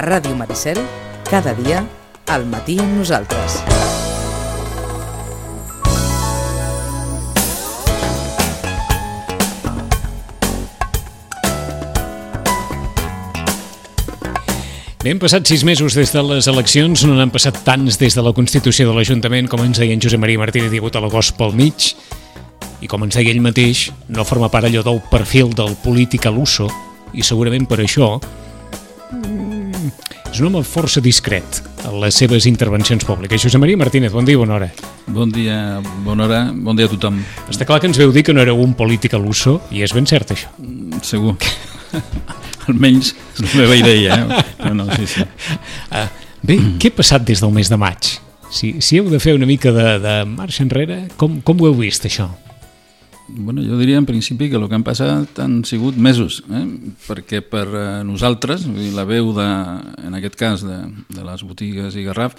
Ràdio Maricel, cada dia, al matí amb nosaltres. Bé, han passat 6 mesos des de les eleccions, no n'han passat tants des de la Constitució de l'Ajuntament, com ens deia en Josep Maria Martínez, hi ha hagut a l'agost pel mig, i com ens deia ell mateix, no forma part allò del perfil del polític a l'uso, i segurament per això és un home força discret en les seves intervencions públiques. Josep Maria Martínez, bon dia, bona hora. Bon dia, bona hora, bon dia a tothom. Està clar que ens veu dir que no éreu un polític a l'uso, i és ben cert això. Segur. Almenys és la meva idea, però no, sí. Bé, què ha passat des del mes de maig? Si heu de fer una mica de marxa enrere, com ho heu vist, això? Bueno, jo diria en principi que el que han passat han sigut mesos, perquè per nosaltres, la veu en aquest cas de les botigues i Garraf,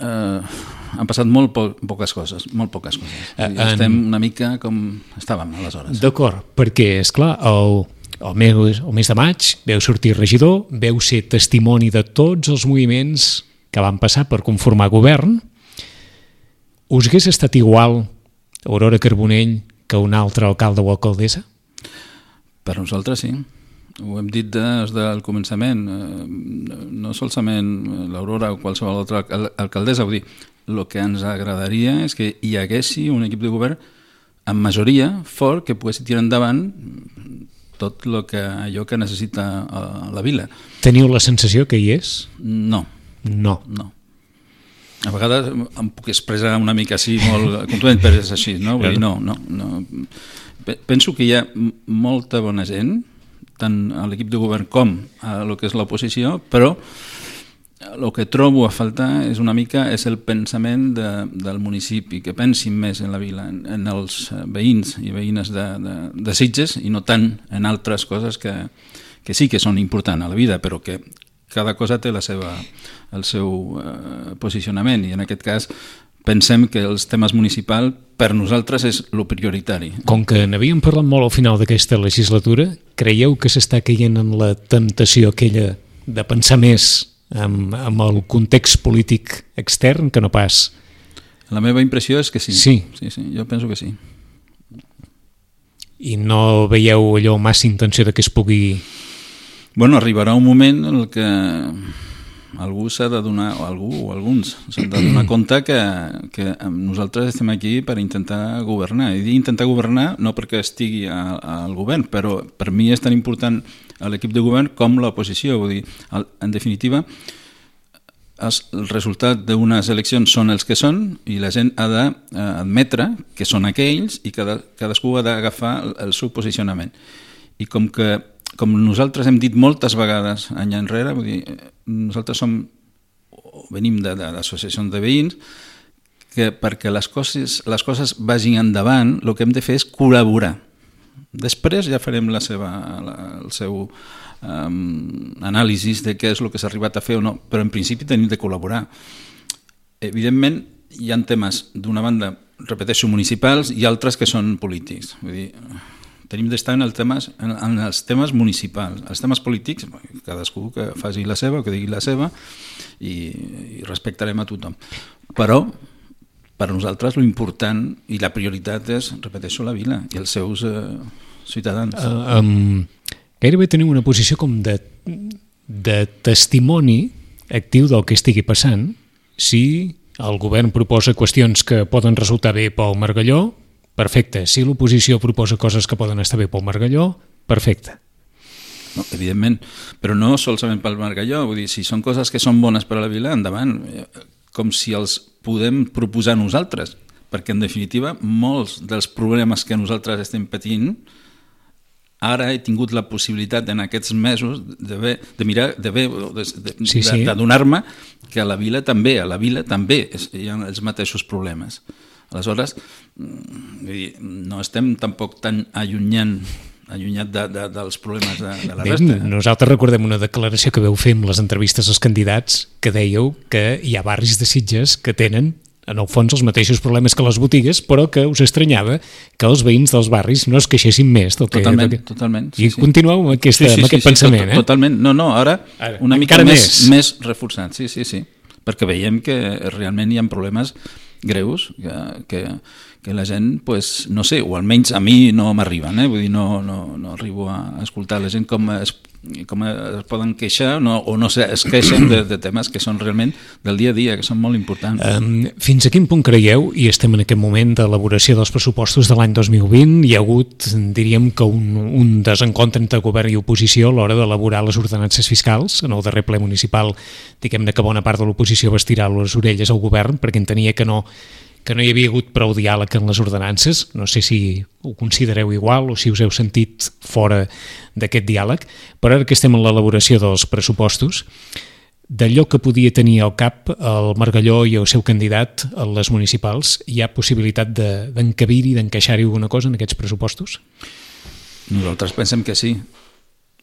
han passat molt poques coses. Estem una mica com estàvem aleshores. D'acord, perquè, esclar, el mes de maig veu sortir regidor, veu ser testimoni de tots els moviments que van passar per conformar govern. Us hagués estat igual Aurora Carbonell que un altre alcalde o alcaldessa? Per nosaltres sí. Ho hem dit des del començament. No solament l'Aurora o qualsevol altra alcaldessa. Vull dir, el que ens agradaria és que hi haguessi un equip de govern amb majoria fort que pogués tirar endavant tot allò que necessita la vila. Teniu la sensació que hi és? No. A vegades em puc expressar una mica així, molt contundent, però és així, no? Vull dir, no. Penso que hi ha molta bona gent, tant a l'equip de govern com a el que és l'oposició, però el que trobo a faltar és el pensament del municipi, que pensin més en la vila, en els veïns i veïnes de Sitges i no tant en altres coses que sí que són importants a la vida, però que cada cosa té el seu posicionament, i en aquest cas pensem que els temes municipals per nosaltres és el prioritari. Com que n'havíem parlat molt al final d'aquesta legislatura, creieu que s'està caient en la temptació aquella de pensar més amb el context polític extern que no pas? La meva impressió és que sí. Sí, jo penso que sí. I no veieu allò massa intenció de que es pugui... Bueno, arribarà un moment en què algú s'ha de donar, o alguns s'han de donar compte que nosaltres estem aquí per intentar governar. I dir intentar governar no perquè estigui al govern, però per mi és tan important l'equip de govern com l'oposició. Vull dir, en definitiva, el resultat d'unes eleccions són els que són i la gent ha d'admetre que són aquells i cadascú ha d'agafar el seu posicionament. I com nosaltres hem dit moltes vegades any enrere, vull dir, nosaltres venim d'associacions de veïns que perquè les coses vagin endavant el que hem de fer és col·laborar. Després ja farem el seu anàlisi de què és el que s'ha arribat a fer o no, però en principi tenim de col·laborar. Evidentment hi ha temes d'una banda, repeteixo, municipals i altres que són polítics. Vull dir, tenim d'estar en els temes municipals. Els temes polítics, cadascú que faci la seva o que digui la seva i respectarem a tothom. Però per nosaltres l'important i la prioritat és, repeteixo, la vila i els seus ciutadans. Gairebé tenim una posició com de testimoni actiu del que estigui passant. Si el govern proposa qüestions que poden resultar bé pel Margalló, perfecte. Si l'oposició proposa coses que poden estar bé pel Margalló, perfecte. No, evidentment, però no solament pel Margalló. Vull dir, si són coses que són bones per a la vila, endavant. Com si els podem proposar nosaltres, perquè en definitiva molts dels problemes que nosaltres estem patint, ara he tingut la possibilitat en aquests mesos de mirar, de donar-me que a la vila també hi ha els mateixos problemes. Aleshores, no estem tampoc tan allunyat dels problemes de la resta. Nosaltres recordem una declaració que veu fer amb les entrevistes als candidats que dèieu que hi ha barris de Sitges que tenen en el fons els mateixos problemes que les botigues, però que us estranyava que els veïns dels barris no es queixessin més del que... Totalment. I continueu amb aquest pensament, Totalment. No, ara una mica més reforçat, sí. Perquè veiem que realment hi ha problemes greus que la gent, pues, no sé, o almenys a mi no m'arriben, vull dir, no arribo a escoltar la gent com es poden queixar o no es queixen de temes que són realment del dia a dia, que són molt importants. Fins a quin punt creieu, i estem en aquest moment d'elaboració dels pressupostos de l'any 2020, hi ha hagut, diríem que un desencontre entre govern i oposició a l'hora d'elaborar les ordenances fiscals? En el darrer ple municipal, diguem-ne que bona part de l'oposició va estirar les orelles al govern perquè entenia que no hi havia hagut prou diàleg en les ordenances. No sé si ho considereu igual o si us heu sentit fora d'aquest diàleg, però ara que estem en l'elaboració dels pressupostos, d'allò que podia tenir al cap el Margalló i el seu candidat a les municipals, hi ha possibilitat d'encabir-hi, d'encaixar-hi alguna cosa en aquests pressupostos? Nosaltres pensem que sí.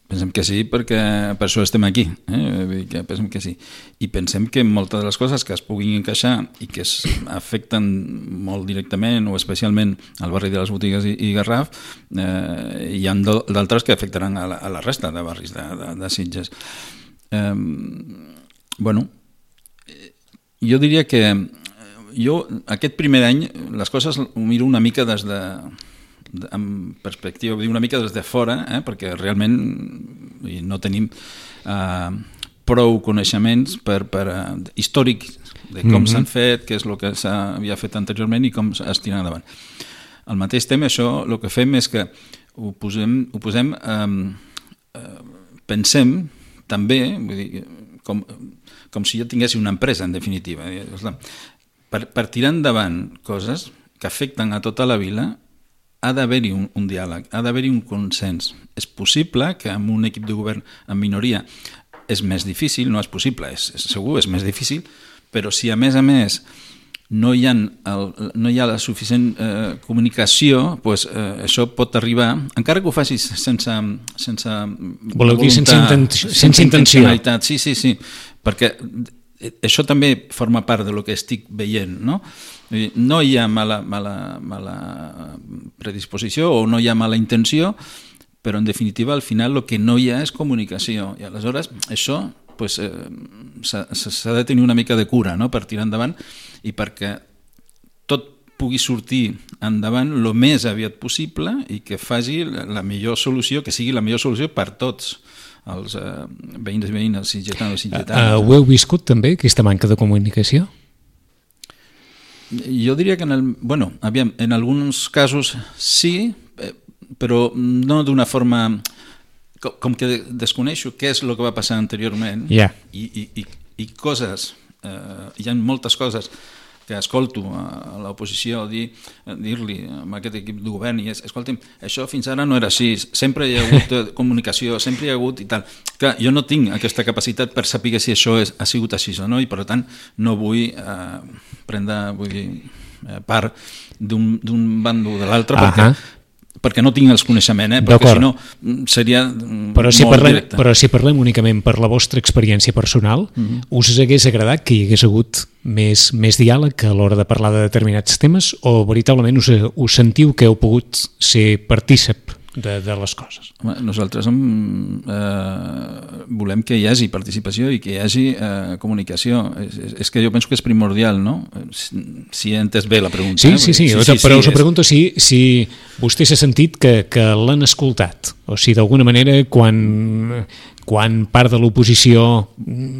Pensem que sí, perquè per això estem aquí. Pensem que sí. I pensem que moltes de les coses que es puguin encaixar i que afecten molt directament o especialment al barri de les Botigues i Garraf, hi ha d'altres que afectaran a la resta de barris de Sitges. Jo diria que aquest primer any les coses ho miro una mica amb perspectiva, una mica des de fora, perquè realment no tenim prou coneixements històrics de com s'han fet, què és el que s'havia fet anteriorment i com es tira endavant. Al mateix temps, això el que fem és que ho posem pensem també, vull dir, com si jo tingués una empresa, en definitiva. Per tirar endavant coses que afecten a tota la vila, ha d'haver-hi un diàleg, ha d'haver-hi un consens. És possible que amb un equip de govern en minoria és més difícil, no és possible, segur, és més difícil, però si a més no hi ha la suficient comunicació, doncs això pot arribar, encara que ho facis sense voleu dir sense intenció. Sí, perquè això també forma part del que estic veient, no? No hi ha mala predisposició o no hi ha mala intenció, però en definitiva al final el que no hi ha és comunicació i aleshores això s'ha de tenir una mica de cura, no?, per tirar endavant i perquè tot pugui sortir endavant el més aviat possible i que faci la millor solució, que sigui la millor solució per tots els veïns i veïnes sitgetanos i sitgetanes. Ho heu viscut també, aquesta manca de comunicació? Jo diria que en alguns casos sí, però no d'una forma com que desconeixo què és el que va passar anteriorment i coses, hi ha moltes coses que escolto a l'oposició dir-li a aquest equip de govern i escolta'm, això fins ara no era així, sempre hi ha hagut comunicació, sempre hi ha hagut i tal. Clar, jo no tinc aquesta capacitat per saber si això ha sigut així o no i per tant no vull prendre part d'un bando o de l'altre perquè no tinc els coneixements, perquè si no seria molt directe. Però si parlem únicament per la vostra experiència personal, us hagués agradat que hi hagués hagut més diàleg a l'hora de parlar de determinats temes o veritablement us sentiu que heu pogut ser partícip de les coses? Nosaltres volem que hi hagi participació i que hi hagi comunicació. És que jo penso que és primordial, no? Si he entès bé la pregunta. Sí, però us pregunto si vostè s'ha sentit que l'han escoltat, o si d'alguna manera quan part de l'oposició,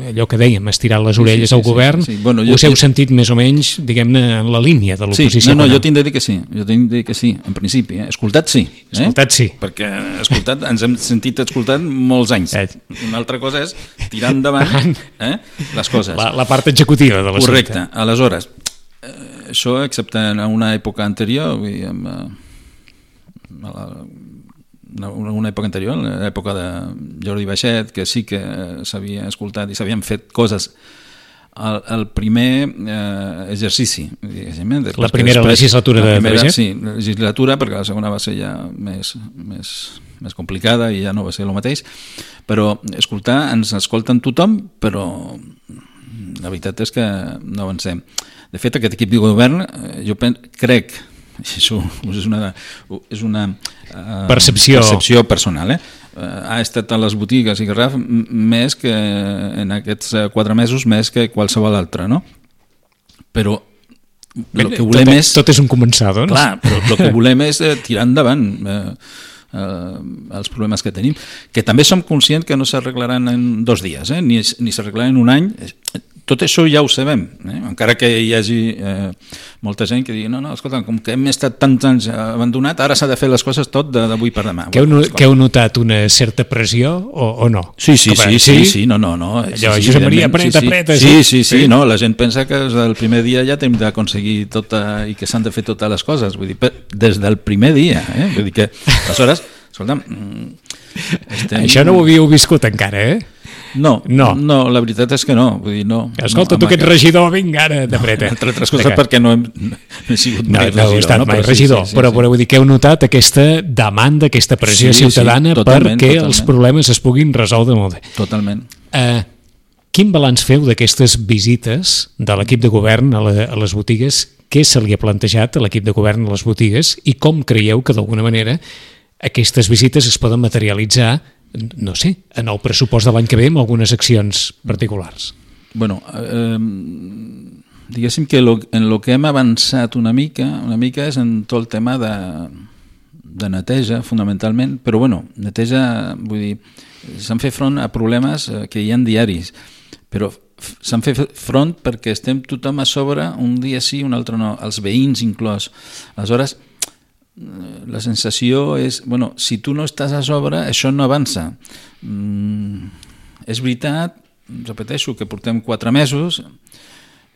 allò que dèiem, estirar les orelles al govern, us heu sentit més o menys, diguem-ne, en la línia de l'oposició? Sí, jo tinc de dir que sí, en principi. Escoltat sí. Escoltat sí. Perquè ens hem sentit escoltat molts anys. Una altra cosa és tirar endavant les coses. La part executiva de l'assumpte. Correcte. Aleshores, això, excepte en una època anterior, una època anterior, l'època de Jordi Baixet, que sí que s'havia escoltat i s'havien fet coses el primer exercici, la primera legislatura de Baixet? Sí, legislatura, perquè la segona va ser ja més complicada i ja no va ser el mateix, però ens escolten tothom, però la veritat és que no avancem. De fet, aquest equip de govern, jo crec, això és una percepció personal, ha estat a les botigues i Garraf més que en aquests 4 mesos més que qualsevol altre, no? Però el que volem tot és un començar, doncs. Clar, però el que volem és tirar endavant els problemes que tenim, que també som conscients que no s'arreglaran en 2 dies, ni s'arreglaran en un any. Tot això ja ho sabem, encara que hi hagi molta gent que digui no, escolta, com que hem estat tants anys abandonat, ara s'ha de fer les coses tot d'avui per demà. Que heu notat una certa pressió o no? Sí, no. Allò, Josep Maria, apreta. Sí, no, la gent pensa que el primer dia ja hem d'aconseguir i que s'han de fer totes les coses, vull dir, des del primer dia, vull dir que, aleshores, escolta'm... Això no ho havíeu viscut encara, No, la veritat és que no. Vull dir, no. Escolta, tu que ets regidor, vinga, ara t'apreta. Entre altres coses perquè no he sigut mai regidor. No heu estat mai regidor, però vull dir que heu notat aquesta demanda, aquesta pressió ciutadana perquè els problemes es puguin resoldre molt bé. Totalment. Quin balanç feu d'aquestes visites de l'equip de govern a les botigues? Què se li ha plantejat a l'equip de govern a les botigues i com creieu que d'alguna manera aquestes visites es poden materialitzar, no sé, en el pressupost de l'any que ve amb algunes accions particulars? Bueno, diguéssim que en el que hem avançat una mica és en tot el tema de neteja, fonamentalment, però bueno, neteja, vull dir, s'han fet front a problemes que hi ha diaris, però s'han fet front perquè estem tothom a sobre, un dia sí, un altre no, els veïns inclòs. Aleshores, la sensació és, bueno, si tu no estàs a sobre, això no avança. És veritat, repeteixo, que portem 4 mesos,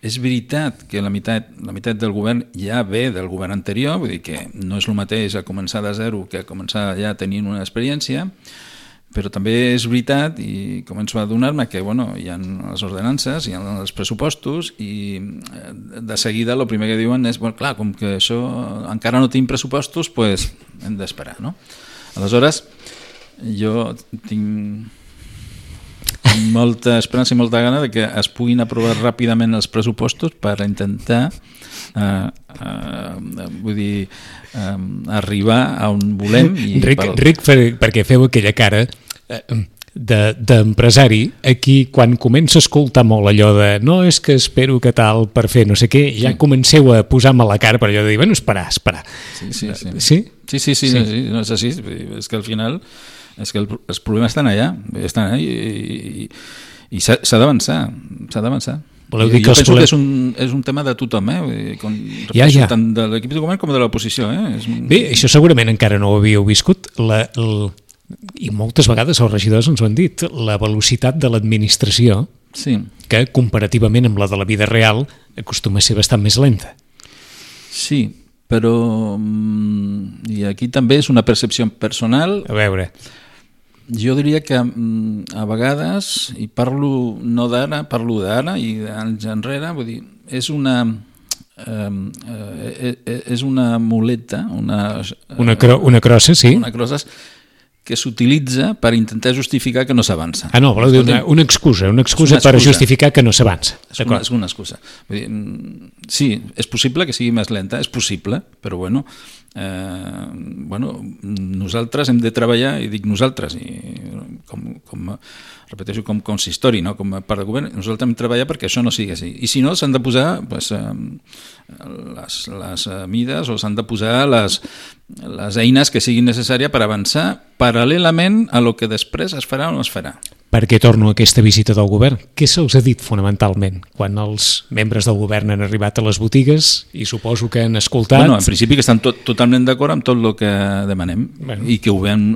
és veritat que la meitat del govern ja ve del govern anterior, vull dir que no és el mateix a començar de zero que a començar ja tenint una experiència, però també és veritat, i començo a adonar-me que hi ha les ordenances, hi ha els pressupostos, i de seguida el primer que diuen és, clar, com que això encara no tenim pressupostos, doncs hem d'esperar, no? Aleshores, jo tinc molta esperança i molta gana de que es puguin aprovar ràpidament els pressupostos per intentar arribar a on volem. Ric, perquè feu aquella cara d'empresari, aquí quan comença a escoltar molt allò de no, és que espero que tal per fer no sé què, ja comenceu a posar-me la cara per allò de dir, bueno, esperar. Sí, no és així, és que al final els problemes estan allà i s'ha d'avançar. Jo penso que és un tema de tothom, tant de l'equip de govern com de l'oposició. Bé, això segurament encara no ho havíeu viscut, i moltes vegades els regidors ens ho han dit, la velocitat de l'administració, que comparativament amb la de la vida real acostuma a ser bastant més lenta. Sí, però i aquí també és una percepció personal. A veure... Jo diria que a vegades, i parlo no d'ara, parlo d'ara i d'anys enrere, vull dir, és una muleta, una crossa, sí. Una crossa que s'utilitza per intentar justificar que no s'avança. No, voleu dir una excusa per justificar que no s'avança. És una excusa. Vull dir, sí, és possible que sigui més lenta, és possible, però nosaltres hem de treballar, i dic nosaltres, repeteixo, com consistori, no? Com a part del govern, nosaltres hem de treballar perquè això no sigui així. I si no, s'han de posar les mides o s'han de posar les eines que siguin necessàries per avançar paral·lelament a lo que després es farà o no es farà. Per què torno a aquesta visita del govern? Què se'ls ha dit fonamentalment quan els membres del govern han arribat a les botigues i suposo que han escoltat? En principi que estan totalment d'acord amb tot el que demanem i que ho veuen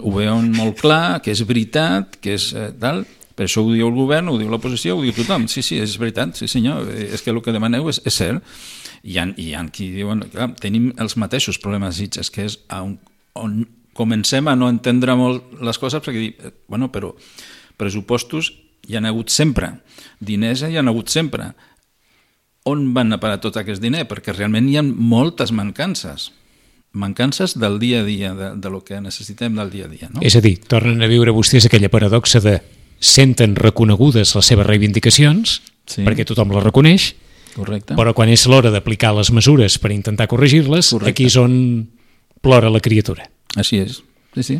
molt clar, que és veritat, que és tal. Per això ho diu el govern, ho diu l'oposició, ho diu tothom. Sí, és veritat, sí senyor, és que el que demaneu és cert. Hi ha qui diuen, clar, tenim els mateixos problemes a Sitges, que és on comencem a no entendre molt les coses, perquè dir, però pressupostos hi han hagut sempre, diners hi han hagut sempre. On van a parar tot aquest diner? Perquè realment hi ha moltes mancances del dia a dia, de lo que necessitem del dia a dia. No? És a dir, tornen a viure vostès aquella paradoxa de senten reconegudes les seves reivindicacions, perquè tothom les reconeix, Correcte. Però quan és l'hora d'aplicar les mesures per intentar corregir-les, Correcte. aquí és on plora la criatura. Així és, sí.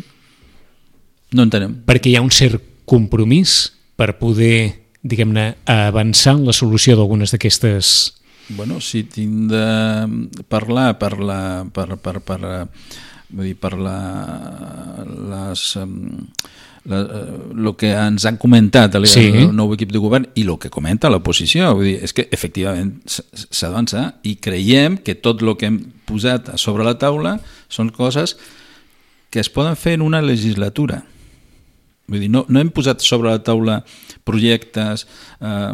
No entenem. Perquè hi ha un cert compromís per poder, diguem-ne, avançar en la solució d'algunes d'aquestes... Bueno, si tinc de parlar el que ens han comentat el nou equip de govern i el que comenta l'oposició, vull dir, és que efectivament s'ha d'avançar i creiem que tot el que hem posat sobre la taula són coses que es poden fer en una legislatura. Vull dir, no hem posat sobre la taula projectes a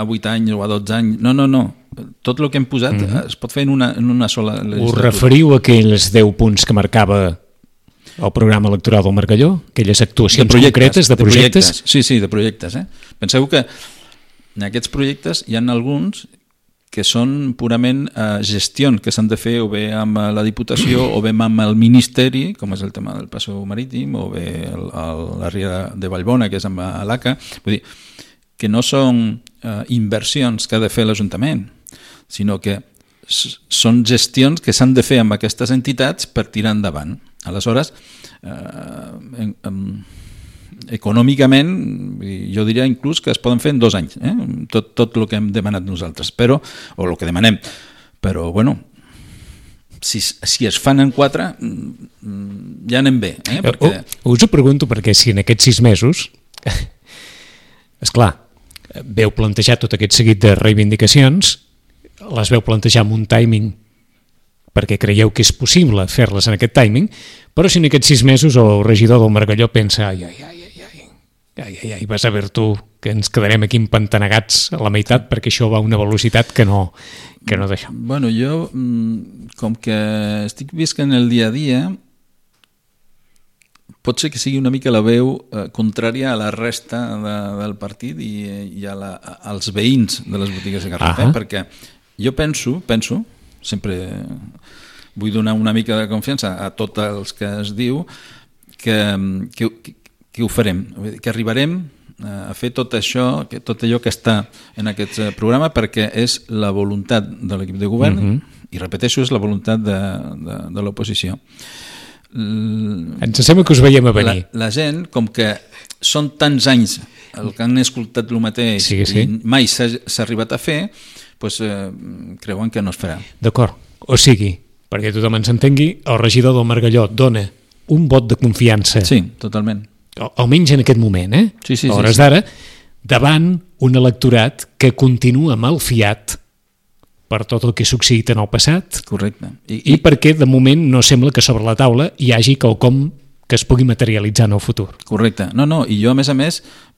8 anys o a 12 anys, no. Tot el que hem posat es pot fer en una sola legislatura. Us referiu a aquells 10 punts que marcava el programa electoral del Margalló? Aquelles actuacions concretes de projectes? Sí, de projectes. Penseu que en aquests projectes hi ha alguns que són purament gestions que s'han de fer o bé amb la Diputació o bé amb el Ministeri, com és el tema del Passeig Marítim, o bé la Ria de Vallbona, que és amb l'ACA. Vull dir, que no són inversions que ha de fer l'Ajuntament, sinó que són gestions que s'han de fer amb aquestes entitats per tirar endavant. Aleshores, econòmicament, jo diria inclús que es poden fer en 2 anys, tot el que hem demanat nosaltres, o el que demanem, però bueno, si es fan en 4 ja anem bé. Perquè... Us ho pregunto perquè si en aquests 6 mesos esclar, veu plantejar tot aquest seguit de reivindicacions, les veu plantejar amb un timing perquè creieu que és possible fer-les en aquest timing, però si en aquests 6 mesos el regidor del Margalló pensa ai, vas a veure tu que ens quedarem aquí empantanegats a la meitat perquè això va a una velocitat que no deixa. Bueno, jo, com que estic visquent el dia a dia, pot ser que sigui una mica la veu contrària a la resta del partit i als veïns de les botigues de Garraf, perquè jo penso, sempre vull donar una mica de confiança a tots els que es diu que ho farem, que arribarem a fer tot això, tot allò que està en aquest programa, perquè és la voluntat de l'equip de govern i repeteixo, és la voluntat de l'oposició. Ens sembla que us veiem a venir. La gent, com que són tants anys el que han escoltat el mateix i mai s'ha arribat a fer, doncs creuen que no es farà. D'acord, o sigui, perquè tothom ens entengui, el regidor del Margalló dona un vot de confiança. Sí, totalment. Almenys en aquest moment, Sí, a hores d'ara, davant un electorat que continua malfiat per tot el que ha succeït en el passat. Correcte. I perquè de moment no sembla que sobre la taula hi hagi quelcom que es pugui materialitzar en el futur. Correcte. No, i jo a més,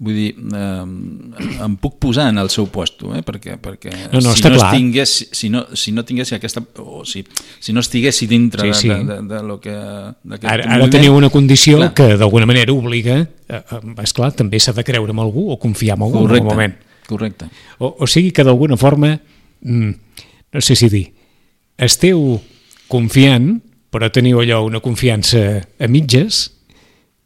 vull dir, em puc posar en el seu puesto, perquè si no tingués aquesta, o si no estiguessi dintre de lo que... Ara teniu una condició que d'alguna manera obliga, esclar, també s'ha de creure en algú o confiar en algú en el moment. Correcte. O sigui que d'alguna forma, no sé si dir, esteu confiant, però teniu allò una confiança a mitges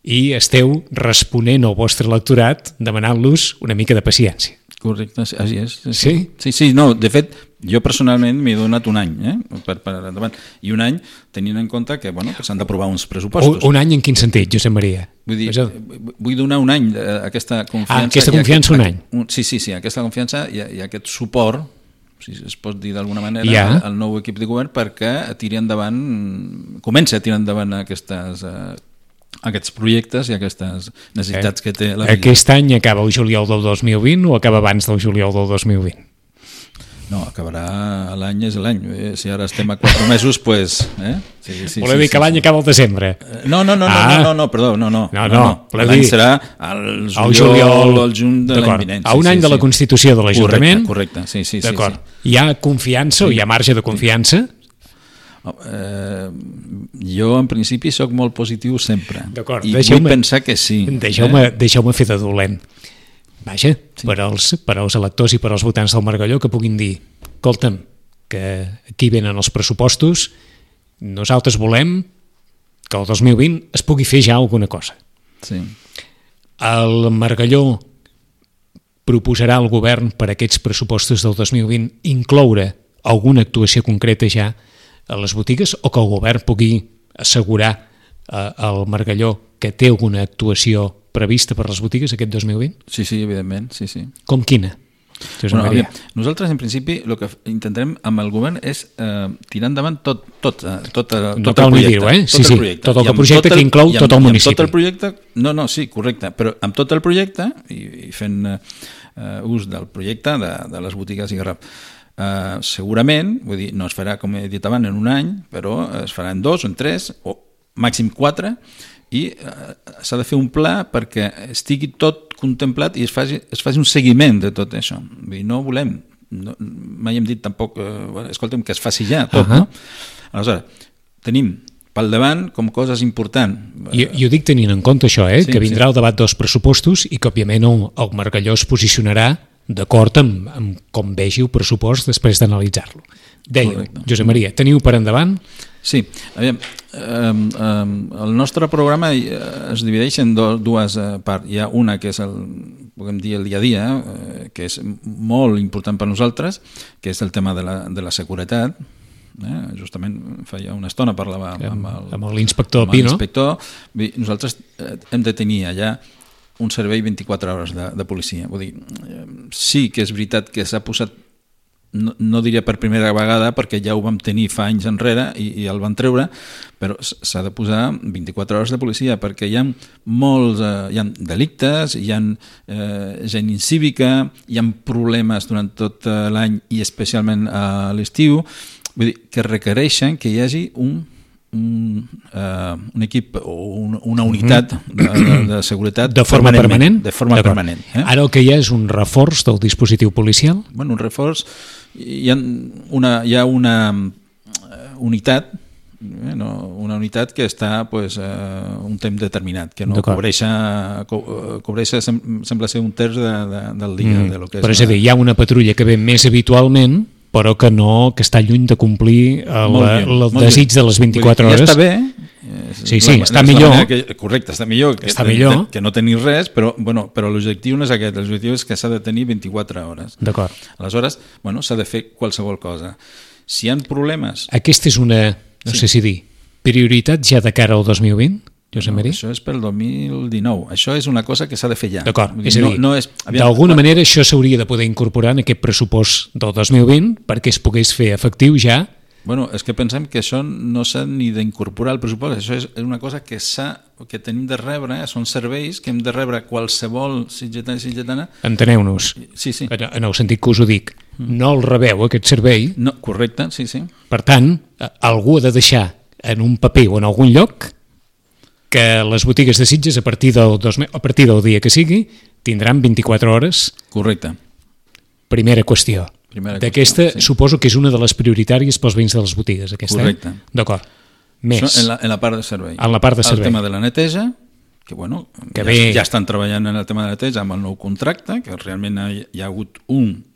i esteu responent al vostre electorat demanant-los una mica de paciència. Correcte, així és. Sí? Sí, no, de fet, jo personalment m'he donat un any per endavant, i un any tenint en compte que s'han d'aprovar uns pressupostos. Un any en quin sentit, Josep Maria? Vull donar un any d'aquesta confiança. Aquesta confiança un any? Sí, aquesta confiança i aquest suport, si es pot dir d'alguna manera, al nou equip de govern perquè comença a tirar endavant aquests projectes i aquestes necessitats que té la vida. Aquest any acaba el juliol del 2020 o acaba abans del juliol del 2020? No, acabarà l'any és l'any. Si ara estem a 4 mesos, doncs... Voleu dir que l'any acaba al desembre? No, perdó, no. L'any serà el juliol o el juny de l'any vinent. A un any de la Constitució de l'Ajuntament? Correcte, sí. D'acord. Hi ha confiança o hi ha marge de confiança? Jo, en principi, sóc molt positiu sempre. D'acord. I vull pensar que sí. Deixeu-me fer de dolent. Vaja, per als electors i per als votants del Margalló que puguin dir, escolta'm, que aquí venen els pressupostos, nosaltres volem que el 2020 es pugui fer ja alguna cosa. Sí. El Margalló proposarà el govern per a aquests pressupostos del 2020 incloure alguna actuació concreta ja a les botigues o que el govern pugui assegurar al Margalló que té alguna actuació prevista per les botigues aquest 2020? Sí, evidentment, sí. Com quina? Bueno, nosaltres, en principi, el que intentarem amb el govern és tirar endavant tot el projecte. No cal ni dir-ho, tot el projecte que inclou tot el municipi. Tot el projecte, sí, correcte, però amb tot el projecte, i fent ús del projecte de les botigues i garraf, segurament, vull dir, no es farà, com he dit abans, en un any, però es farà en 2 o en 3, o màxim 4, i s'ha de fer un pla perquè estigui tot contemplat i es faci un seguiment de tot això. Vull dir, no volem, mai hem dit tampoc, escolta'm, que es faci ja tot, no? Aleshores, tenim pel davant com coses importants. Jo dic tenint en compte això, que vindrà el debat dels pressupostos i que, òbviament, el Margalló es posicionarà d'acord amb com vegi el pressupost després d'analitzar-lo. Dèieu, Josep Maria, teniu per endavant? Sí, aviam, el nostre programa es divideix en dues parts. Hi ha una que és podem dir el dia a dia, que és molt important per nosaltres, que és el tema de la seguretat. Justament feia una estona parlava amb l'inspector Pino. Nosaltres hem de tenir allà un servei 24 hores de policia. Vull dir, sí que és veritat que s'ha posat, no diria per primera vegada, perquè ja ho vam tenir fa anys enrere i el van treure, però s'ha de posar 24 hores de policia, perquè hi ha molts hi ha delictes, hi ha gent incívica, hi ha problemes durant tot l'any i especialment a l'estiu, vull dir, que requereixen que hi hagi un equip o una unitat de seguretat de forma permanent? De forma permanent. Ara el que hi ha és un reforç del dispositiu policial? Bueno, un reforç, hi ha una unitat, una unitat que està un temps determinat, que no cobreix sembla ser un terç del dia. Però és a dir, hi ha una patrulla que ve més habitualment, però que està lluny de complir el desig de les 24 hores. Ja està bé. Sí, està millor. Correcte, està millor que no tenir res, però l'objectiu no és aquest. L'objectiu és que s'ha de tenir 24 hores. D'acord. Aleshores, s'ha de fer qualsevol cosa. Si hi ha problemes... Aquesta és una, no sé si dir, prioritat ja de cara al 2020? Això és pel 2019. Això és una cosa que s'ha de fer ja. D'acord, és a dir, d'alguna manera això s'hauria de poder incorporar en aquest pressupost del 2020 perquè es pogués fer efectiu ja. Bueno, és que pensem que això no s'ha ni d'incorporar al pressupost. Això és una cosa que tenim de rebre, són serveis que hem de rebre qualsevol sitgetana. Enteneu-nos. Sí. En el sentit que us ho dic. No el rebeu, aquest servei. No, correcte, sí. Per tant, algú ha de deixar en un paper o en algun lloc que les botigues de Sitges, a partir del dia que sigui, tindran 24 hores. Correcte. Primera qüestió. D'aquesta, suposo que és una de les prioritàries pels veïns de les botigues, aquesta. Correcte. D'acord. Més. Això en la part de servei. En la part de servei. El tema de la neteja, ja estan treballant en el tema de la neteja amb el nou contracte, que realment hi ha hagut un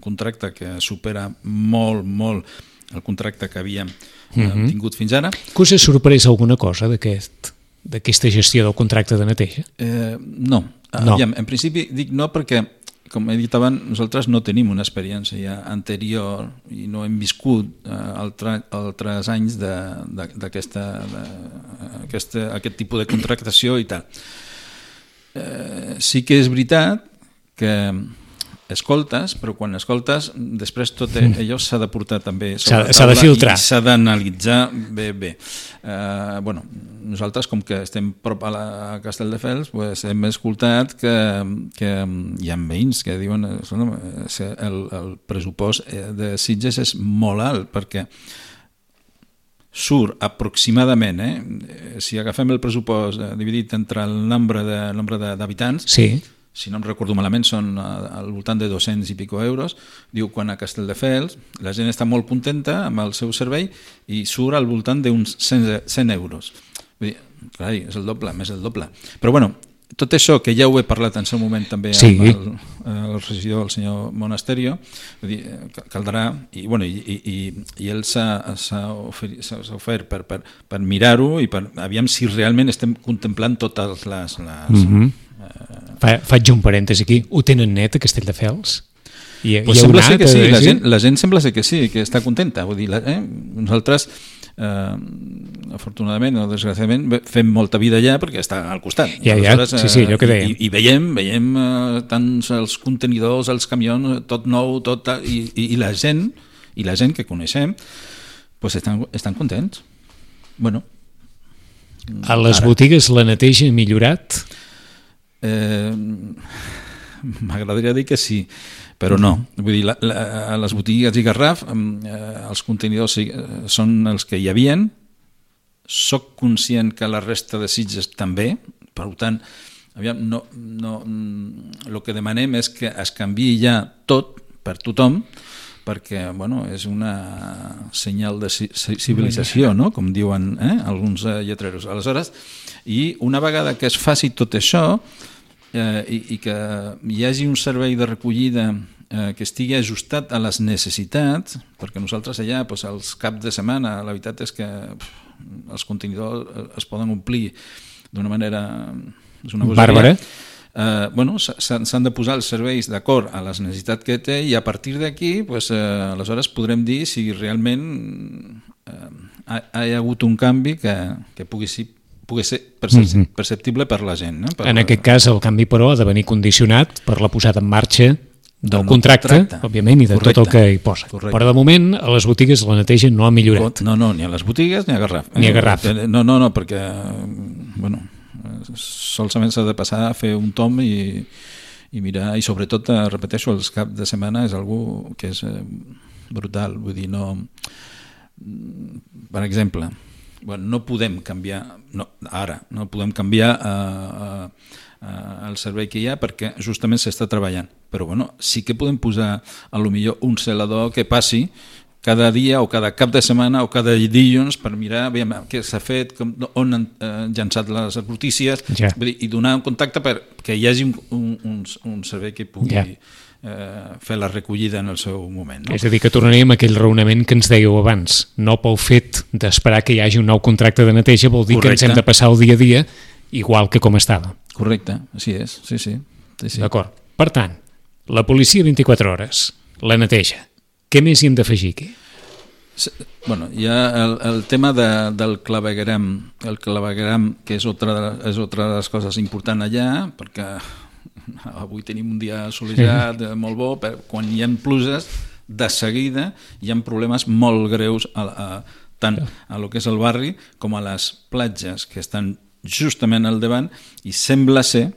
contracte que supera molt el contracte que havíem tingut fins ara. Que us ha sorprès alguna cosa d'aquesta gestió del contracte de neteja? No. Aviam, en principi dic no perquè, com he dit abans, nosaltres no tenim una experiència anterior i no hem viscut altres anys d'aquest tipus de contractació i tal. Sí que és veritat que escoltes, però quan escoltes després tot allò s'ha de portar també s'ha de filtrar, s'ha d'analitzar bé. Nosaltres, com que estem prop a Castelldefels, hem escoltat que hi ha veïns que diuen que el pressupost de Sitges és molt alt, perquè surt aproximadament, si agafem el pressupost dividit entre el nombre d'habitants, si no em recordo malament, són al voltant de 200 i pico euros. Diu, quan a Castelldefels la gent està molt contenta amb el seu servei i surt al voltant d'uns 100 euros. Vull dir, clar, és el doble, més el doble. Però bueno, tot això, que ja ho he parlat en seu moment també amb el regidor, el senyor Monasterio, vull dir, caldrà, i ell s'ha ofert per mirar-ho i per aviam si realment estem contemplant totes les Faig un parèntesi aquí. Ho tenen net a Castelldefels? Pues sembla ser que sí, la gent sembla ser que sí, que està contenta. Vull dir, nosaltres, afortunadament o desgraciadament, fem molta vida allà perquè està al costat. Sí, allò que dèiem. I veiem tant els contenidors, els camions, tot nou, tot, i la gent que coneixem pues estan contents. Bueno, a les botigues la neteja ha millorat? M'agradaria dir que sí, però no. Vull dir, a les botigues i Garraf els contenidors són els que hi havien. Soc conscient que la resta de Sitges també, per tant, el que demanem és que es canviï ja tot per tothom, perquè és una senyal de civilització, no? Com diuen alguns lletreros. Aleshores, i una vegada que es faci tot això i que hi hagi un servei de recollida que estigui ajustat a les necessitats, perquè nosaltres allà, els caps de setmana, la veritat és que els contenidors es poden omplir d'una manera... bàrbara. S'han de posar els serveis d'acord a les necessitats que té i a partir d'aquí aleshores podrem dir si realment hi ha hagut un canvi que pugui ser perceptible per la gent. No? En aquest cas el canvi però ha de venir condicionat per la posada en marxa del contracte, òbviament, i de tot el que hi posa. Correcte. Però de moment a les botigues la neteja no ha millorat. No, ni a les botigues ni a Garraf. Ni a Garraf. No, perquè solament s'ha de passar a fer un tom i mirar, i sobretot, repeteixo, els caps de setmana és algo que és brutal. Vull dir, no... Per exemple, no podem canviar el servei que hi ha perquè justament s'està treballant, però sí que podem posar a lo millor un celador que passi cada dia o cada cap de setmana o cada dilluns per mirar què s'ha fet, on han llançat les brutícies, i donar un contacte perquè hi hagi un servei que pugui fer la recollida en el seu moment. No? És a dir, que tornaríem a aquell raonament que ens dèieu abans. No pel fet d'esperar que hi hagi un nou contracte de neteja vol dir que ens hem de passar el dia a dia igual que com estava. Correcte, així és, sí. D'acord. Per tant, la policia 24 hores, la neteja. Què més hi hem d'afegir aquí? Hi ha el tema del clavegueram. El clavegueram, que és otra de les coses importants allà, perquè avui tenim un dia assolellat molt bo, però quan hi ha pluges, de seguida hi ha problemes molt greus tant a lo que és el barri com a les platges que estan justament al davant, i sembla ser,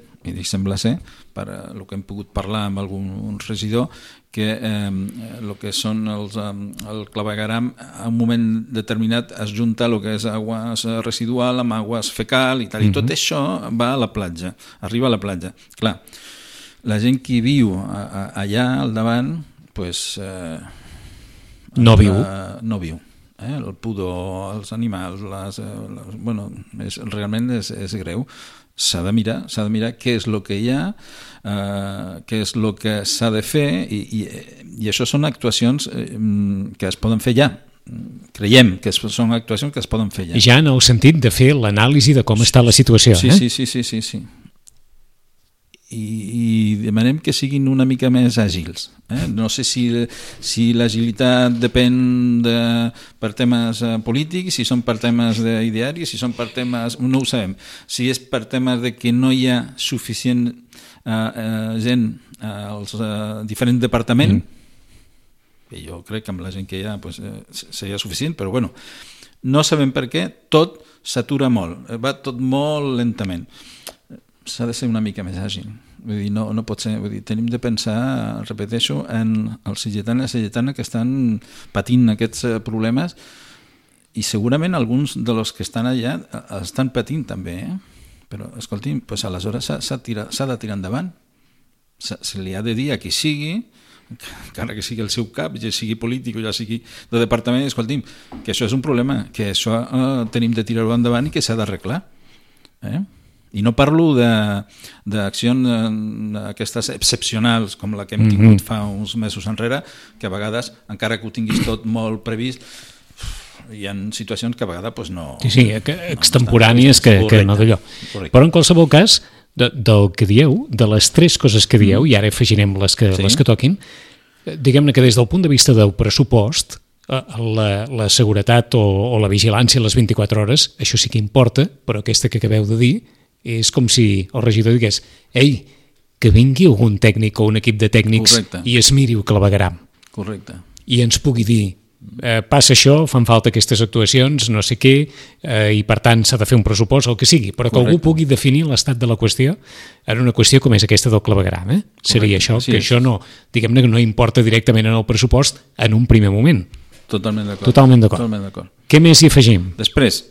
per el que hem pogut parlar amb algun regidor, que el que són el clavegueram a un moment determinat es junta el que és aigües residual amb aigües fecal i tal, i tot això va a la platja, arriba a la platja. Clar, la gent que viu allà al davant no viu. El pudor, els animals, realment és greu. S'ha de mirar què és el que hi ha, què és el que s'ha de fer, i això són actuacions que es poden fer ja. Creiem que són actuacions que es poden fer ja. Ja en el sentit de fer l'anàlisi de com està la situació. Sí. I demanem que siguin una mica més àgils. No sé si l'agilitat depèn per temes polítics, si són per temes d'idearis, si són per temes... No ho sabem. Si és per temes de que no hi ha suficient gent als diferents departaments, que jo crec que amb la gent que hi ha seria suficient, però no sabem per què tot s'atura molt, va tot molt lentament. S'ha de ser una mica més àgil. Vull dir, no pot ser. Vull dir, tenim de pensar, repeteixo, en els sitgetans i les sitgetanes que estan patint aquests problemes, i segurament alguns dels que estan allà estan patint també, però escolti'm, aleshores s'ha de tirar endavant. Se li ha de dir a qui sigui, encara que sigui el seu cap, ja sigui polític o ja sigui de departament, escolti'm, que això és un problema, que això tenim de tirar-ho endavant i que s'ha d'arreglar. I no parlo d'accions aquestes excepcionals com la que hem tingut fa uns mesos enrere, que a vegades, encara que ho tinguis tot molt previst, hi ha situacions que a vegades no... Sí, extemporànies que no d'allò. Però en qualsevol cas, del que dieu, de les 3 coses que dieu, i ara afegirem les que toquin, diguem-ne que des del punt de vista del pressupost, la seguretat o la vigilància a les 24 hores, això sí que importa, però aquesta que acabeu de dir és com si el regidor digués ei, que vingui algun tècnic o un equip de tècnics i es miri el clavegueram. Correcte. I ens pugui dir passa això, fan falta aquestes actuacions, no sé què, i per tant s'ha de fer un pressupost, el que sigui, però que algú pugui definir l'estat de la qüestió en una qüestió com és aquesta del clavegueram. Seria això, que això no, diguem-ne que no importa directament en el pressupost en un primer moment. Totalment d'acord. Totalment d'acord. Què més hi afegim? Després,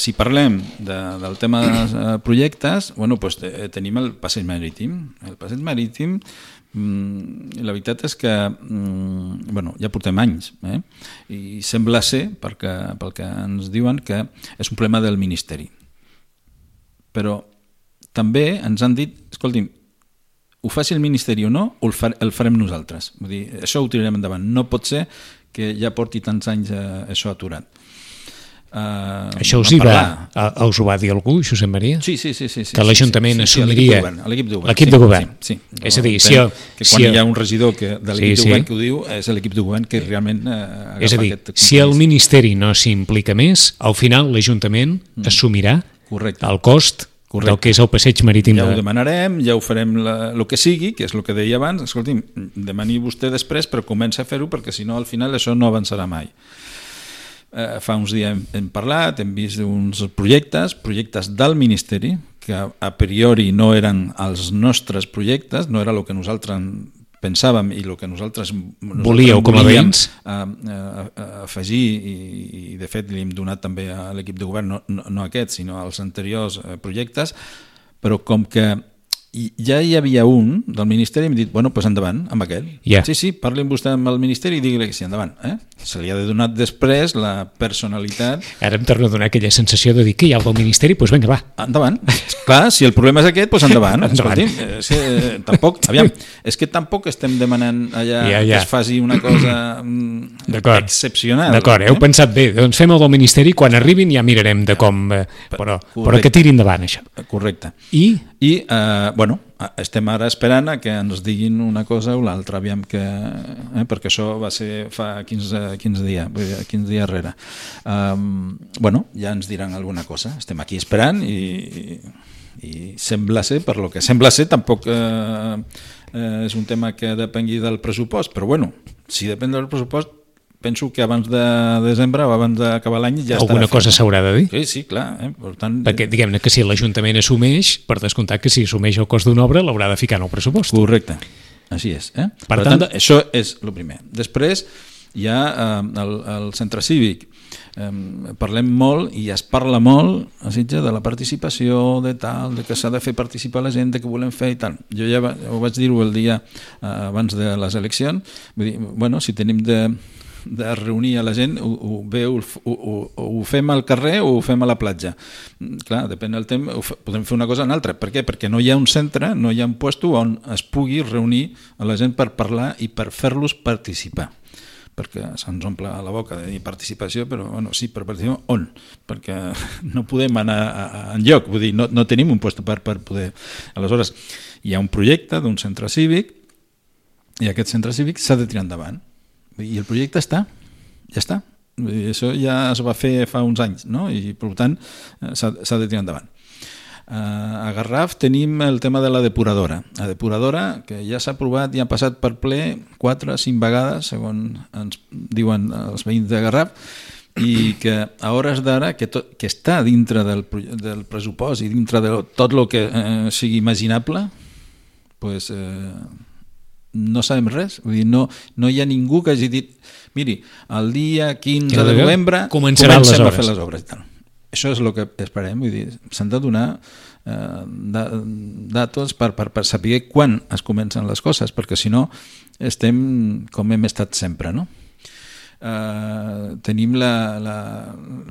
si parlem del tema dels projectes, doncs tenim el passeig marítim. El passeig marítim, la veritat és que ja portem anys i sembla ser, pel que ens diuen, que és un problema del Ministeri. Però també ens han dit, escolti'm, ho faci el Ministeri o no, o el farem nosaltres. Vull dir, això ho tirarem endavant. No pot ser que ja porti tants anys això aturat. Això us ho va dir algú, Josep Maria? Sí. Que l'Ajuntament assumiria... L'equip de govern. L'equip de govern. Sí. És a dir, quan hi ha un regidor de l'equip de govern que ho diu, és l'equip de govern que realment agafa aquest compromís. Si el Ministeri no s'implica més, al final l'Ajuntament assumirà el cost del que és el passeig marítim. Ja ho demanarem, ja ho farem el que sigui, que és el que deia abans. Escolti'm, demani vostè després, però comença a fer-ho, perquè si no, al final això no avançarà mai. Fa uns dies hem parlat, hem vist uns projectes del Ministeri, que a priori no eren els nostres projectes, no era el que nosaltres pensàvem i el que nosaltres volíeu com a veïns afegir, i de fet li hem donat també a l'equip de govern, no aquest, sinó als anteriors projectes, però com que ja hi havia un del Ministeri, hem dit, doncs endavant amb aquell. Sí, parlin vostè amb el Ministeri i digui-li que sí, endavant. Se li ha de donar després la personalitat. Ara em torna a donar aquella sensació de dir que hi ha el del Ministeri, doncs vinga, va. Endavant. Clar, si el problema és aquest, doncs endavant. És que tampoc estem demanant allà que es faci una cosa excepcional. D'acord, heu pensat bé, doncs fem el del Ministeri, quan arribin ja mirarem de com... Però que tiri endavant això. Correcte. I estem ara esperant a que ens diguin una cosa o l'altra, aviam que... perquè això va ser fa 15 dies darrere. Ja ens diran alguna cosa. Estem aquí esperant i sembla ser, per lo que sembla ser, tampoc és un tema que depengui del pressupost, però si depèn del pressupost, penso que abans de desembre o abans d'acabar l'any ja estarà alguna cosa s'haurà de dir. Sí, clar. Per tant, perquè diguem-ne que si l'Ajuntament assumeix, per descomptat que si assumeix el cost d'una obra l'haurà de ficar en el pressupost. Correcte, així és. Per tant, això és el primer. Després hi ha el centre cívic. Parlem molt i es parla molt a Sitges de la participació, de que s'ha de fer participar la gent, de que volem fer i tal. Jo ja ho vaig dir-ho el dia abans de les eleccions. Vull dir, si tenim de reunir a la gent, ho fem al carrer o ho fem a la platja. Clar, depèn del temps, podem fer una cosa o una altra. Per què? Perquè no hi ha un centre, no hi ha un lloc on es pugui reunir a la gent per parlar i per fer-los participar. Perquè se'ns omple la boca de dir participació, però sí, per participar on? Perquè no podem anar enlloc, vull dir, no tenim un lloc per poder... Aleshores, hi ha un projecte d'un centre cívic i aquest centre cívic s'ha de tirar endavant. I el projecte ja està. Això ja es va fer fa uns anys, no? I per tant s'ha de tirar endavant. A Garraf tenim el tema de la depuradora. La depuradora, que ja s'ha aprovat i ha passat per ple 4 o 5 vegades, segons ens diuen els veïns de Garraf, i que a hores d'ara, que està dintre del pressupost i dintre de tot el que sigui imaginable, doncs... no sabem res, vull dir, no hi ha ningú que hagi dit miri, el dia 15 de novembre comencem a fer les obres i tal. Això és el que esperem, vull dir, s'han de donar datos per saber quan es comencen les coses, perquè si no estem com hem estat sempre, no? Tenim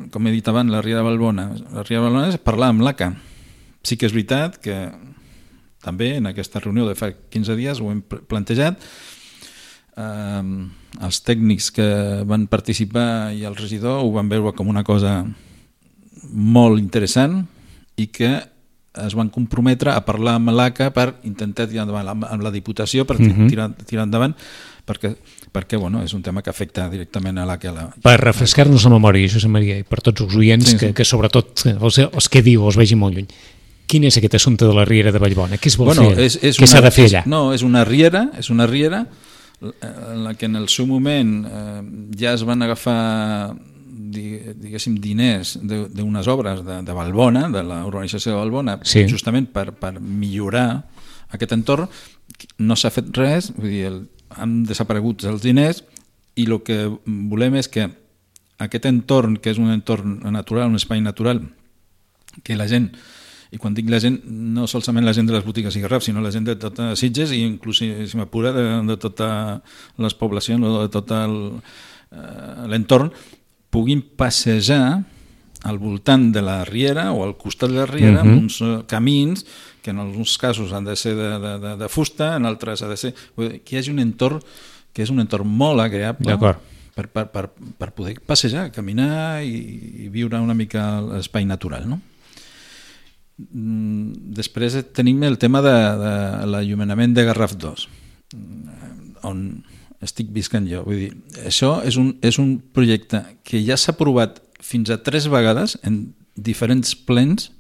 com he dit abans, la Ria de Valbona. La Ria de Valbona és parlar amb l'ACA. Sí que és veritat que també en aquesta reunió de fa 15 dies ho hem plantejat. Els tècnics que van participar i el regidor ho van veure com una cosa molt interessant i que es van comprometre a parlar amb l'ACA per intentar tirar endavant, amb la Diputació per tirar endavant, perquè bueno, és un tema que afecta directament a l'ACA. Per refrescar-nos la memòria, Josep Maria, i per tots els oients, que sobretot els que diu els vegi molt lluny, quin és aquest assumpte de la Riera de Vallbona? Què es vol fer? Què s'ha de fer allà? No, és una riera en la que en el seu moment ja es van agafar diguéssim diners d'unes obres de Vallbona, de la urbanització de Vallbona, justament per millorar aquest entorn. No s'ha fet res, vull dir, han desaparegut els diners, i el que volem és que aquest entorn, que és un entorn natural, un espai natural, que la gent, i quan dic la gent, no solament la gent de les botigues i garrafs, sinó la gent de totes Sitges, i inclús, si m'apura, de totes les poblacions o de tot l'entorn, puguin passejar al voltant de la riera o al costat de la riera amb uns camins que en alguns casos han de ser de fusta, en altres ha de ser... Que hi hagi un entorn que és un entorn molt agreable per poder passejar, caminar i viure una mica l'espai natural, no? Després tenim el tema de l'enllumenament de Garraf 2, on estic viscant jo. Vull dir, això és un projecte que ja s'ha aprovat fins a 3 vegades en diferents plens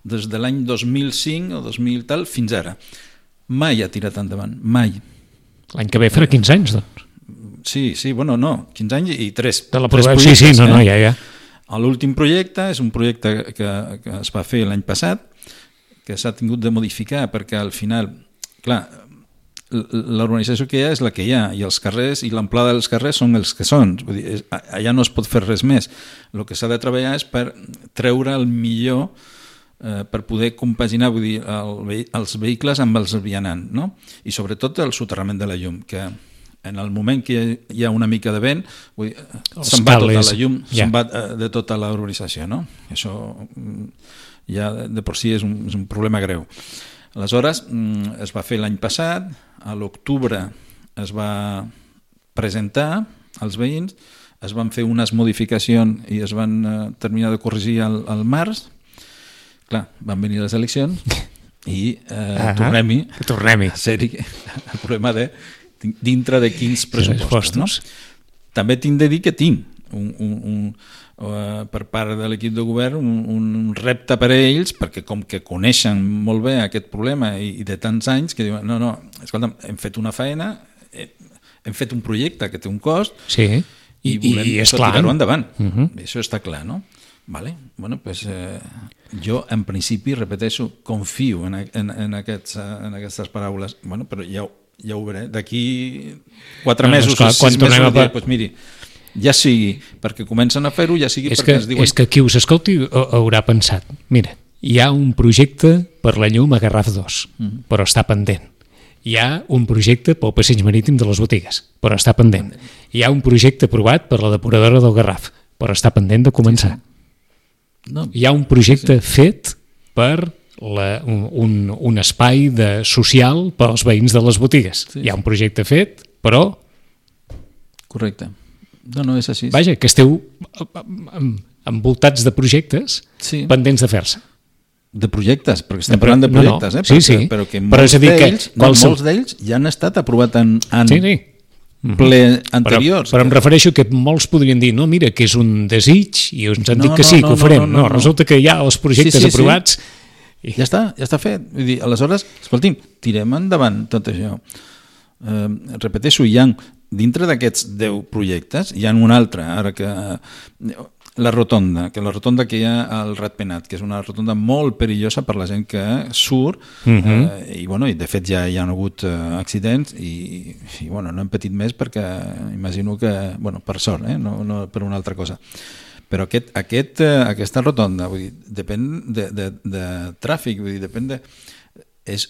des de l'any 2005 o 2000 tal fins ara. Mai ha tirat endavant, mai. L'any que ve farà 15 anys, doncs. Sí, bueno, no, 15 anys i 3. De l'aprovació, sí, no, ja. L'últim projecte és un projecte que es va fer l'any passat, que s'ha tingut de modificar perquè al final, clar, l'urbanització que hi ha és la que hi ha, i els carrers i l'amplada dels carrers són els que són. Vull dir, allà no es pot fer res més. El que s'ha de treballar és per treure el millor, per poder compaginar, vull dir, els vehicles amb els vianants, no? I sobretot el soterrament de la llum, que en el moment que hi ha una mica de vent, se'n va tota la llum, se'n va de tota la urbanització, no? Això ja de per si és un problema greu. Aleshores, es va fer l'any passat, a l'octubre es va presentar als veïns, es van fer unes modificacions i es van terminar de corregir al març. Clar, van venir les eleccions i tornem-hi a ser-hi el problema de dintre de quins pressupostos. No? També tinc de dir que tinc per part de l'equip de govern un repte per a ells, perquè com que coneixen molt bé aquest problema i de tants anys, que diuen, no, escolta'm, hem fet una feina, hem fet un projecte que té un cost, i volem tirar-ho endavant. Això està clar, no? Vale. Bueno, pues, jo en principi, repeteixo, confio en aquestes paraules, bueno, però ja ho veuré, d'aquí 4 mesos, 6 mesos, doncs miri, ja sigui perquè comencen a fer-ho, ja sigui perquè ens diuen... És que qui us escolti haurà pensat, mira, hi ha un projecte per la llum a Garraf 2, però està pendent. Hi ha un projecte pel passeig marítim de les botigues, però està pendent. Hi ha un projecte aprovat per la depuradora del Garraf, però està pendent de començar. Hi ha un projecte fet per un espai social per als veïns de les botigues. Hi ha un projecte fet, però... Correcte. No, és així. Vaja, que esteu envoltats de projectes pendents de fer-se. De projectes, perquè estem parlant de projectes, però que molts d'ells ja han estat aprovats en ple anteriors. Però em refereixo que molts podrien dir, no, mira, que és un desig, i ens han dit que sí, que ho farem. No, resulta que hi ha els projectes aprovats... Ja està fet. Vull dir, aleshores, escolti'm, tirem endavant tot això. Repeteixo, hi ha dintre d'aquests 10 projectes, hi ha un altre, ara que la rotonda que hi ha al Ratpenat, que és una rotonda molt perillosa per la gent que surt, i de fet ja hi ha hagut accidents i no hem patit més perquè imagino que, per sort, no per una altra cosa. Però aquesta rotonda, vull dir, depèn de tràfic, vull dir, depèn de...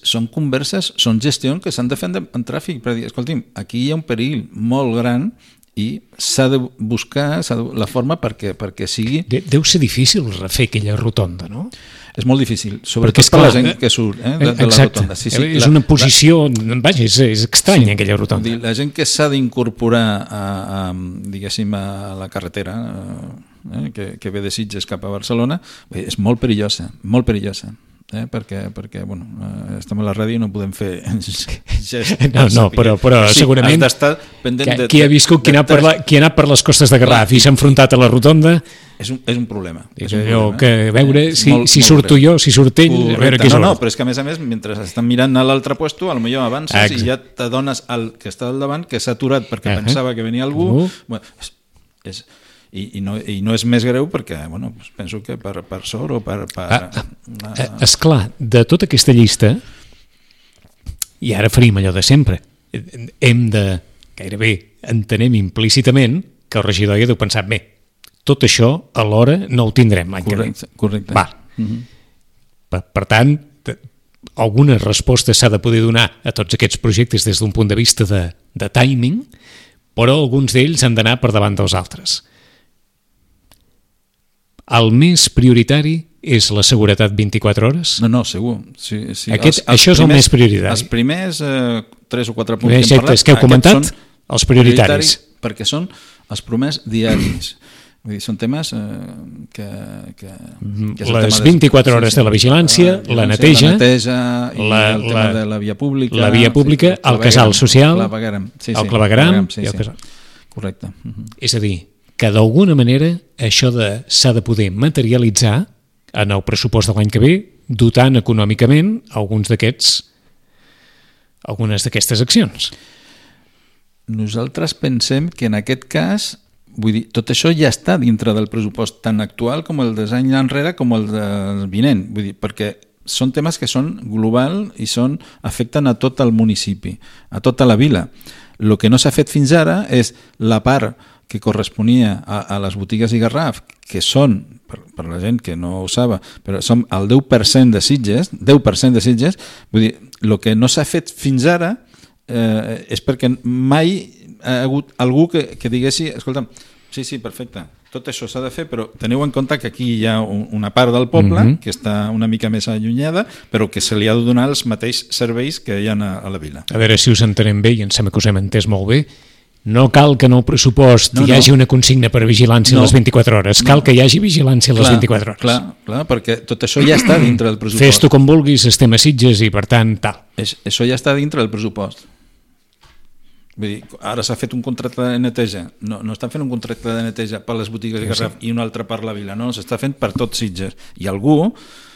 Són converses, són gestions que s'han de fer en tràfic, per dir, escolti'm, aquí hi ha un perill molt gran i s'ha de buscar la forma perquè sigui... Deu ser difícil refer aquella rotonda, no? És molt difícil, sobretot per la gent que surt de la rotonda. És una posició... Vaja, és estranya aquella rotonda. La gent que s'ha d'incorporar diguéssim, a la carretera que ve de Sitges cap a Barcelona és molt perillosa, molt perillosa. perquè bueno, estem a la ràdio i no podem fer gestos. No, però sí, segurament qui ha viscut, qui ha anat per les costes de Garraf i s'ha enfrontat a la rotonda és un problema. Que veure si surto jo, si surt ell, a veure qui surt. No, però és que a més, mentre estan mirant a l'altre puesto, potser avances i ja t'adones al que està al davant que s'ha aturat perquè pensava que venia algú. I no és més greu perquè, bueno, penso que per sort o per... Esclar, de tota aquesta llista, i ara faríem allò de sempre, hem de, gairebé, entenem implícitament que el regidor ja deu pensar, bé, tot això alhora no ho tindrem l'any que ve. Correcte. Va. Per tant, alguna resposta s'ha de poder donar a tots aquests projectes des d'un punt de vista de timing, però alguns d'ells han d'anar per davant dels altres. El més prioritari és la seguretat 24 hores? No, segur. Sí. Això és el més prioritari. Els primers 3 o 4 punts que hem parlat... que heu comentat, els prioritaris. Perquè són els primers diaris. Vull dir, són temes que les 24 hores de la vigilància, la neteja, el tema de la via pública, el casal social, el clavegueram, correcte. És a dir, que d'alguna manera això s'ha de poder materialitzar en el pressupost de l'any que ve, dotant econòmicament algunes d'aquestes accions. Nosaltres pensem que en aquest cas, vull dir, tot això ja està dintre del pressupost tan actual com el dels anys enrere com el del vinent, vull dir, perquè són temes que són global i afecten a tot el municipi, a tota la vila. El que no s'ha fet fins ara és la part que corresponia a les botigues i Garraf, que són, per la gent que no ho sap, però som el 10% de Sitges, vull dir, el que no s'ha fet fins ara és perquè mai ha hagut algú que diguessi, escolta'm, sí, perfecte, tot això s'ha de fer, però teniu en compte que aquí hi ha una part del poble que està una mica més allunyada, però que se li ha de donar els mateixos serveis que hi ha a la vila. A veure si us entenem bé, i em sembla que us hem entès molt bé. No cal que en el pressupost hi hagi una consigna per vigilància a les 24 hores, cal que hi hagi vigilància a les 24 hores. Clar, perquè tot això ja està dintre del pressupost. Fes-t'ho com vulguis, estem a Sitges i per tant, tal. Això ja està dintre del pressupost. Vull dir, ara s'ha fet un contracte de neteja, no estan fent un contracte de neteja per les botigues de Garraf i un altre per la vila, no, s'està fent per tot Sitges. I algú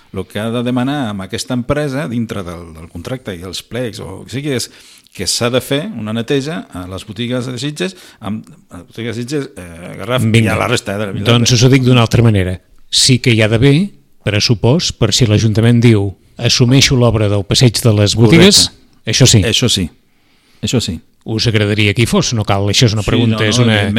el que ha de demanar amb aquesta empresa dintre del contracte i els plecs o que sigui és que s'ha de fer una neteja a les botigues de Sitges, Garraf i a la resta de la vila. Doncs us ho dic d'una altra manera. Sí que hi ha d'haver pressupost per si l'Ajuntament diu assumeixo l'obra del passeig de les botigues, això sí. Això sí. Us agradaria que hi fos? No cal, això és una pregunta, és una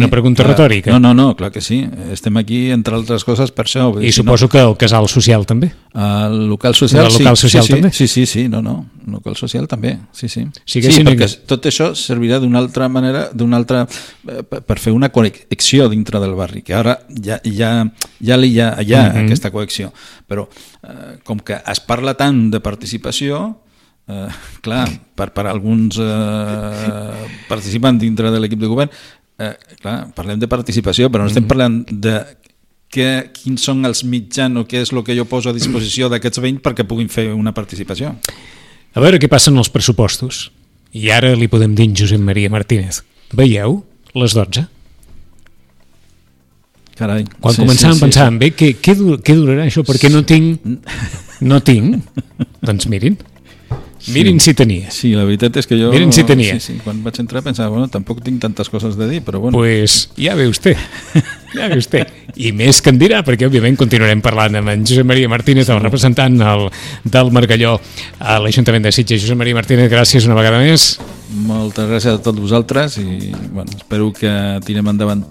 pregunta clar, retòrica. No, clar que sí. Estem aquí, entre altres coses, per això. I suposo que el casal social també? El local social, també? Sí, no. El local social també, sí. Sí, perquè tot això servirà d'una altra manera, per fer una connexió dintre del barri, que ara ja hi ha aquesta connexió. Però com que es parla tant de participació, clar, per alguns participants dintre de l'equip de govern, clar, parlem de participació, però no estem parlant de quins són els mitjans o què és el que jo poso a disposició d'aquests veïns perquè puguin fer una participació. A veure què passa en els pressupostos. I ara li podem dir en Josep Maria Martínez. Veieu? Les 12. Carai. Quan començàvem pensàvem, bé, què durarà això? Perquè no tinc. Doncs mirin si tenia. Sí, la veritat és que jo... Miren si tenia. Sí, quan vaig entrar pensava, bueno, tampoc tinc tantes coses de dir, però bueno. Pues ja ve usted. I més que en dirà, perquè òbviament continuarem parlant amb en Josep Maria Martínez, el representant del Margalló a l'Ajuntament de Sitges. Josep Maria Martínez, gràcies una vegada més. Moltes gràcies a tots vosaltres i bueno, espero que tirem endavant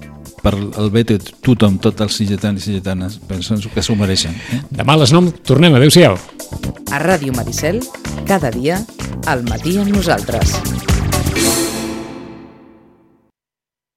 per el bé de tothom, tots els sitgetans i sitgetanes. Penso que s'ho mereixen. Demà a les 9 tornem. Adéu-siau. A Ràdio Maricel, cada dia, al matí amb nosaltres.